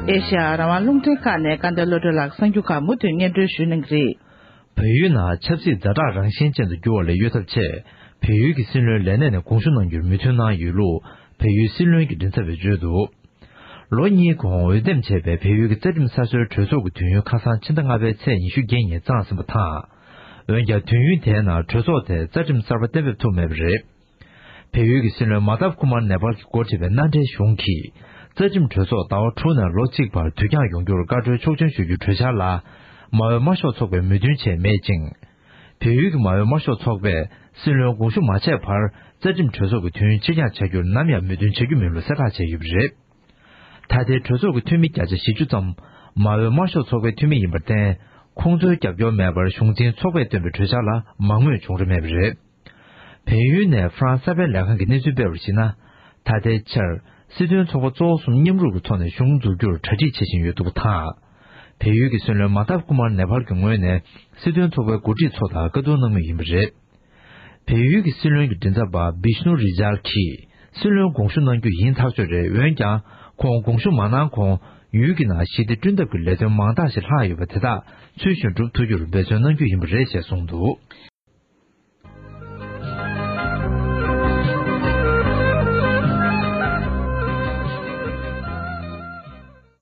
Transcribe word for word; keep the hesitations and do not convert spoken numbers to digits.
ཨེ་ཤ་ཡ་རང་དབང་རླུང་འཕྲིན་ཁང་ནས་སྐལ་ལྡན་བློ་གྲོས་ལགས་གསར་འགྱུར་ཁག་མུ་མཐུད་སྙན་སྒྲོན་ཞུ་གནང་གི་རེད། བལ་ཡུལ་ནང་ཆབ་སྲིད་ཛ་དྲག་རང་བཞིན་ཅན་དུ་འགྱུར་བ་ལས་གཡོལ་ཐབས་ཆེད། བལ་ཡུལ་གྱི་སྲིད་བློན་ལས་གནས་ནས་དགོངས་ཞུ་གནང་རྒྱུར་མོས་མཐུན་གནང་ཡོད་ལུགས། བལ་ཡུལ་སྲིད་བློན་གྱི་མགྲིན་ཚབ་པས་བརྗོད་འདུག་ལོ་གཉིས་གོང་འོས་འདེམས་བྱས་པའི་བལ་ཡུལ་གྱི་རྩ་ཁྲིམས་གསར་བཟོའི་གྲོས་ཚོགས་ཀྱི་དུས་ཡུན་ཁ་སང་ཕྱི་ཟླ་ལྔ་པའི་ཚེས་ཉི་ཤུ་བརྒྱད་ཉིན་གཙང་ཟིན་པ་དང་། འོན་ཀྱང་དུས་ཡུན་དེའི་ནང་གྲོས་ཚོགས་དེས་རྩ་ཁྲིམས་གསར་པ་གཏན་འབེབས་ཐུབ་མེད་པ་རེད། བལ་ཡུལ་གྱི་སྲིད་བློན་མ་དབ་ཀུ་མར་ནེ་པཱལ་གྱིས་འགོ་ཁྲིད་པའི་མནའ་འབྲེལ་གཞུང་གིས། རྩ་ཁྲིམས་གྲོས་ཚོགས་ཟླ་བ་དྲུག་ནས་ལོ་གཅིག་བར་དུས་འགྱངས་ཡོང་རྒྱུར་བཀའ་འཁྲོལ་ཆོག་མཆན་ཞུ་རྒྱུའི་གྲོས་འཆར་ལ། མ་འོས་དམར་ཤོག་ཚོགས་པས་མོས་མཐུན་བྱས་མེད་ཅིང་། བལ་ཡུལ་གྱི་མ་འོས་དམར་ཤོག་ཚོགས་པས་སྲིད་བློན་དགོངས་ཞུ་མ་བྱས་བར། རྩ་ཁྲིམས་གྲོས་ཚོགས་ཀྱི་དུས་ཡུན་ཕྱིར་འགྱངས་བྱ་རྒྱུར་ནམ་ཡང་མོས་མཐུན་བྱ་རྒྱུ་མིན་ལུགས་གསལ་བསྒྲགས་བྱས་ཡོད་པ་རེད། ད་ལྟའི་གྲོས་ཚོགས་ཀྱི་འཐུས་མི་བརྒྱ་ཆ་བཞི་བཅུ་ཙམ། མ་འོས་དམར་ཤོག་ཚོགས་པའི་འཐུས་མི་ཡིན་པར་བརྟེན། ཁོང་ཚོའི་རྒྱབ་སྐྱོར་མེད་པར་གཞུང་འཛིན་ཚོགས་པས་བཏོན་པའི་གྲོས་འཆར་ལ་མང་མོས་བྱུང་རེ་མེད་པ་རེད། བལ་ཡུལ་ནས་ཧྥ་རན་སི་གསར་སྤེལ་ལས་ཁང་གིས་གནས་ཚུལ་སྤེལ་བར་གཞིགས་ན། ད་ལྟའི་ཆར། སྲིད་དོན་ཚོགས་པ་གཙོ་བོ་གསུམ་མཉམ་རུབ་ཀྱི་ཐོག་ནས་གཞུང་འཛུགས་རྒྱུར་གྲ་སྒྲིག་བྱེད་བཞིན་ཡོད་འདུག་པ་དང་། བལ་ཡུལ་གྱི་སྲིད་བློན་མ་དྷབ་ཀུ་མར་ནེ་པཱལ་གྱི་ངོས་ནས་སྲིད་དོན་ཚོགས་པའི་འགོ་ཁྲིད་ཚོ་དང་བཀའ་བསྡུར་གནང་མུས་ཡིན་པ་རེད། བལ་ཡུལ་གྱི་སྲིད་བློན་གྱི་མགྲིན་ཚབ་པ་བིཤ་ནུ་རི་ཇཱལ་གྱིས་སྲིད་བློན་དགོངས་ཞུ་གནང་རྒྱུ་ཡིན་ཐག་ཆོད་རེད། འོན་ཀྱང་། ཁོང་དགོངས་ཞུ་མ་གནང་གོང་། ཡུལ་གྱི་ནང་ཞི་བདེ་བསྐྲུན་ཐབས་ཀྱི་ལས་དོན་མང་དག་ཞིག་ལྷག་ཡོད་པ་དེ་དག་ཚུལ་བཞིན་སྒྲུབ་ཐུབ་རྒྱུར་འབད་བརྩོན་གནང་རྒྱུ་ཡིན་པ་རེད་ཅེས་གསུངས་འདུག